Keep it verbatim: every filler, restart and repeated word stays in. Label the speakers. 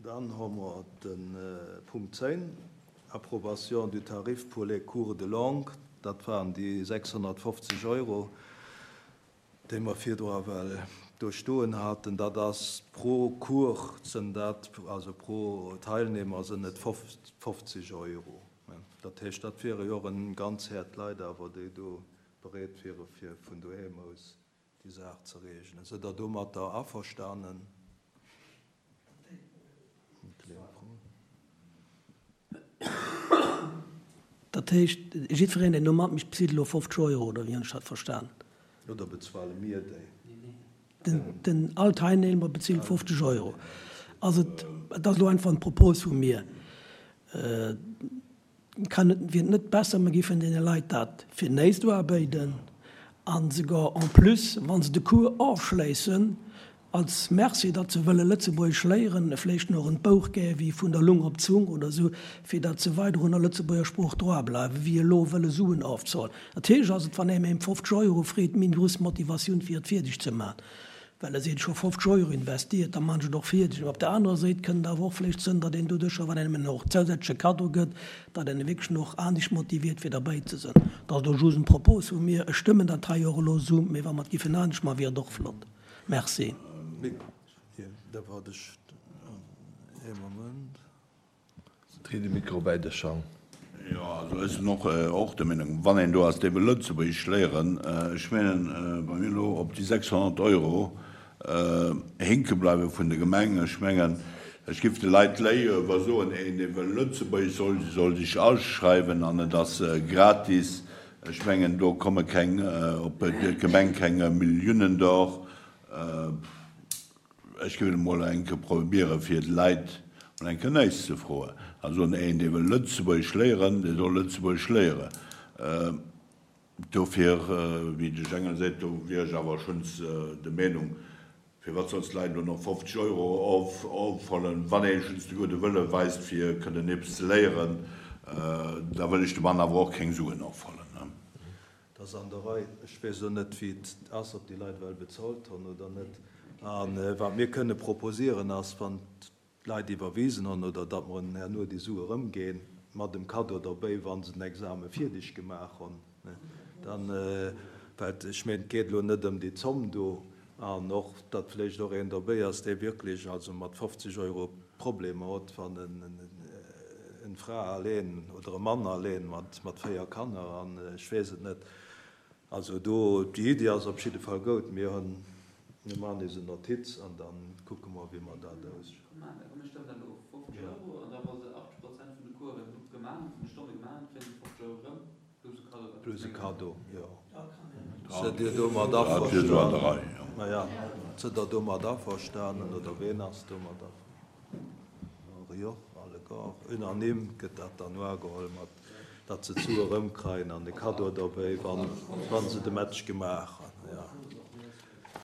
Speaker 1: Dann hu mer de Punkt zéng, Approbation du tarif pour les cours de langue. Dat waren déi sechshonnertfofzeg Euro, déi mer virdru ewell do stoen haten. Dat ass pro Cours sinn dat, also pro Teilnehmer sinn et fofzeg Euro. Dat heescht, dat wiere jo och en ganz Häert Leit awer, déi do bereet wiere fir vun doheem aus déi Saach ze reegelen. Sidd Der domatter averstanen?
Speaker 2: Dat heescht, jiddwereen, deen do matmécht, bezilt elo fofzeg Euro, oder wéi hunn ech dat verstan?
Speaker 1: Oder bezuele mir déi?
Speaker 2: Den, all Teilnehmer bezilt fofzeg Euro. Also, et ass elo einfach eng Propos vu mir. Kann et, wier et net besser, mer géifen deene Leit dat fir näischt uerbéiden an sougar en plus, wa se de Cours ofschléissen, als Merci, datt se wëlle Lëtzebuergesch léieren, vléicht nach en Bouch gä wéi Vun der Lung op d'Zung oder esou, fir datt se weider un der Lëtzebuerger Sprooch droa bleiwen, wéi elo wëlle Suen ofzehuelen. Natierlech ass et, wann ee méi ëm fofzeg Euro freet, méi grouss Motivatioun fir et fierdeg ze man. Well e seet, ech hu fofzeg Euro investiert, da man ech et och fierdeg. Mä op der anerer Séit kënnt et awer och vléicht sënn, datt een doduercher, wann een engem och zousätzleche Kaddo gëtt, datt een e wierklech och anescht motiviert fir derbäi ze sënn. Dat ass elo just en Propos vu mir. Ech stëmmen dat hei och elo esou, mee wa mer et giffen anescht man, wier et och flott. Merci.
Speaker 1: Da waart ech ee Moment.
Speaker 3: Dréi de Mikro bäi dech an.
Speaker 4: Jo, also ech sinn och och der Meenung, wann een do ass, dee wëll Lëtzebuergesch léieren, ech mengen, wa mir elo op déi sechshonnert Euro hinke bleiwe vun der Gemeng, ech mengen, ech géif de Leit léiwer soen, een, dee wëll Lëtzebuergesch, soll soll sech aschreiwen an et ass gratis. Ech mengen, do komme keng, op d'Gemeng keng Milliounen dor. Ech géif et emol eng Kéier probieren, fir de Leit mol eng Kéier näischt ze froen. A soen, een, dee wëll Lëtzebuergesch léieren, dee soll Lëtzebuergesch léieren. Dofir, wéi de Jengel seet, do wier ech awer schonns der Meenung, firwat solls d'Leit elo nach fofzeg Euro ofhuelen, wann ee schonns de gudde Wëlle weist, fir kënnen eppes ze léieren, da wëll ech dem Mann awer och keng Suen ofhuelen.
Speaker 1: Et ass an der Rei. Ech weess elo net, wéi et ass, ob déi Leit well bezolt hunn oder net. A wat mir kënne proposieren ass, wann d'Leit iwwerwisen hunn, oder datt mer hinnen herno déi Sue erëmginn, mat dem Kaddo derbäi, wa se den Exame fierdeg gemaach hunn, dann, well ech mengen, et geet elo net ëm déi Zomm do, an och, datt vläicht och een derbäi ass, dee wierklech also mat fofzeg Euro Problemer huet, wann en eng Fra alleen oder e Mann alleen mat véier Kanner an ech weess et net. Also do, déi Iddi ass op jidde Fall goud. Mir hunn, mir maachen eis en Notiz an da kucke mer, wéi mer dat aus. Plus e Kaddo, jo. Sidd Dir domat averstanen? Maja, sidd Der domat averstanen oder ween ass domat averstanen? Jo, alleguer. Unanime gëtt dat dann uageholl, mat datt se d'Sue erëmkreien an de Kaddo derbäi, wa se de Match gemaach hunn. Jo.